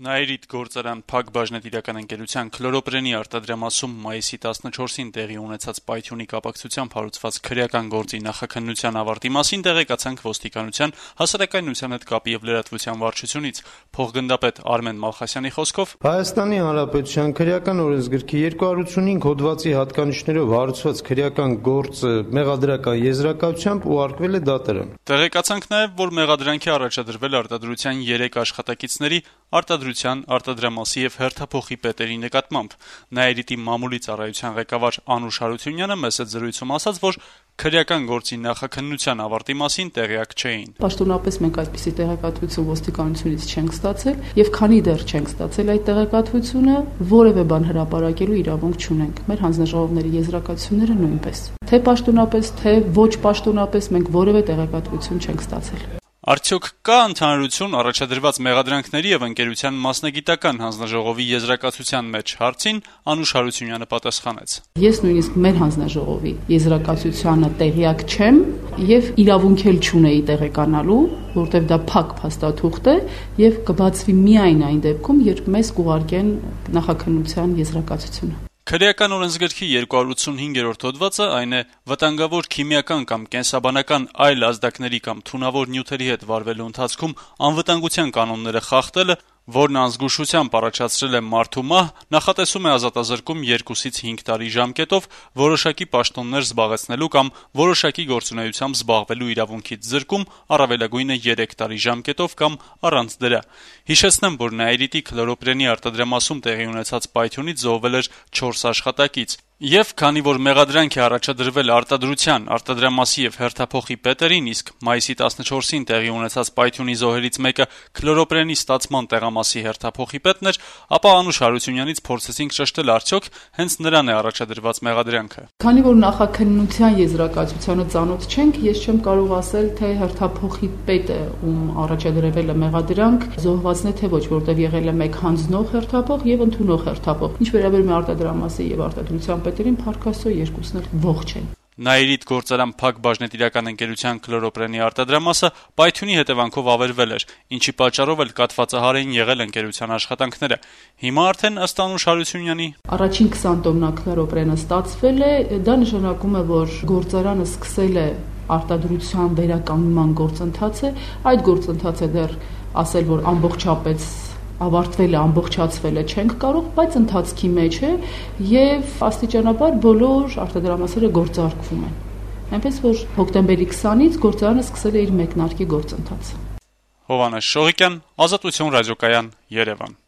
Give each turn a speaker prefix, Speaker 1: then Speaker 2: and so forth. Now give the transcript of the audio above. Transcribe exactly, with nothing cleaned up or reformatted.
Speaker 1: Նաիրիդ գործարան փակ բաժնետիրական ընկերության քլորոպրենի արտադրամասում մայիսի տասնչորսին տեղի ունեցած պայթյունի կապակցությամբ հարուցված քրեական գործի նախաքննության ավարտի մասին տեղեկացանք ոստիկանության, հասարակայնության հետ կապի եւ լրատվության վարչությունից։ Փոխգնդապետ Արմեն Մալխասյանի խոսքով
Speaker 2: Հայաստանի Հանրապետության քրեական օրենսգրքի երկու հարյուր ութ հոդվածի հատկանիշներով հարուցված քրեական գործը մեղադրական եզրակացությամբ ուղարկվել է դատարան։
Speaker 1: Տեղեկացանք նաեւ, որ մեղադրանքի առաջադրվել արտադրության երեք աշխատակիցների արտադրության, արտադրամասի եւ հերթափոխի պետերի նկատմամբ։ Նաիրիտի մամուլի ծառայության ղեկավար Անուշ Հարությունյանը մեծ զրույցում ասաց, որ քրեական գործի նախաքննության ավարտի մասին տեղյակ չէին։
Speaker 3: Պաշտոնապես մենք այդպիսի տեղեկատվություն ոստիկանությունից չենք ստացել եւ քանի դեռ չենք ստացել այդ տեղեկատվությունը, որևէ բան հրապարակելու իրավունք չունենք։ Մեր հանձնաժողովների եզրակացությունները նույնպես։ Թե պաշտոնապես, թե ոչ պաշտոնապես մենք որևէ տեղեկատվություն չենք ստացել։
Speaker 1: Արդյոք կա ընդհանրություն առաջադրված մեղադրանքների եւ ընկերության մասնագիտական հանձնաժողովի եզրակացության մեջ հարցին Անուշ Հարությունյանը պատասխանեց.
Speaker 3: Ես նույնիսկ մեր հանձնաժողովի եզրակացությանը տեղյակ չեմ եւ իրավունք էլ չունեի տեղեկանալու, որտեղ դա փակ փաստաթուղթ է եւ կբացվի միայն այն դեպքում, երբ մեզ կուղարկեն նախաքննության եզրակացությունը։
Speaker 1: Քրեական օրենսգրքի երկու հարյուր ութ հոդվածը այն է վտանգավոր քիմիական կամ կենսաբանական այլ ազդակների կամ թունավոր նյութերի հետ վարվելու ընթացքում անվտանգության կանոնները խախտելը, որն անզգուշությամբ առաջացրել է մարդու մահ, նախատեսում է ազատազրկում երկուսից հինգ տարի ժամկետով, որոշակի պաշտոններ զբաղեցնելու կամ որոշակի գործունեությամբ զբաղվելու իրավունքից զրկում, առավելագույնը երեք տարի ժամկետով կամ առանց դրա։ Հիշեցնեմ, որ Նաիրիտի քլորոպրենի արտադրամասում տեղի ունեցած պայթյունից զոհվել էր չորս աշխատակից։ Եվ քանի որ մեղադրանք է առաջադրվել արտադրության, արտադրամասի եւ հերթափոխի պետերին, իսկ մայիսի տասնչորսին տեղի ունեցած պայթյունի զոհերից մեկը քլորոպրենի ստացման տեղամասի հերթափոխի պետն էր, ապա Անուշ Հարությունյանից փորձեցինք ճշտել արդյոք հենց նրան է առաջադրված մեղադրանքը։
Speaker 3: Քանի որ նախաքննության եզրակացությանը ծանոթ չենք, ես չեմ կարող ասել, թե հերթափոխի պետը ում առաջադրվել է մեղադրանք զոհվածն է թե ոչ, որտեղ եղել է մեկ հանձնող հերթափող եւ ընդունող հերթափող։ Ինչ վերաբերում է արտադրամասի եւ արտադրության պետերին, փառքաստո երկուսն էլ ողջ են։
Speaker 1: Նաիրիդ գործարան փակ բաժնետիրական ընկերության քլորոպրենի արտադրամասը պայթյունի հետևանքով ավերվել էր, ինչի պատճառով էլ կաթվածահար էին եղել ընկերության աշխատանքները։ Հիմա արդեն ըստ Անուշ Հարությունյանի
Speaker 3: առաջին քսան տոննա քլորոպրենը ստացվել է, դա նշանակում է, որ գործարանը սկսել է արտադրության վերականգնման գործընթացը, այդ գործընթացը դեռ ասել, որ ամբողջապես ավարտվել է, ամբողջացվել է չենք կարող, բայց ընթացքի մեջ է եւ աստիճանաբար բոլոր արտադրամասերը գործարկվում են։ Այնպես որ հոկտեմբերի քսանից գործարանը սկսել է իր մեկնարկի գործընթացը։
Speaker 1: Հովհաննես Շողիկյան, Ազատություն ռադիոկայան, Երևան։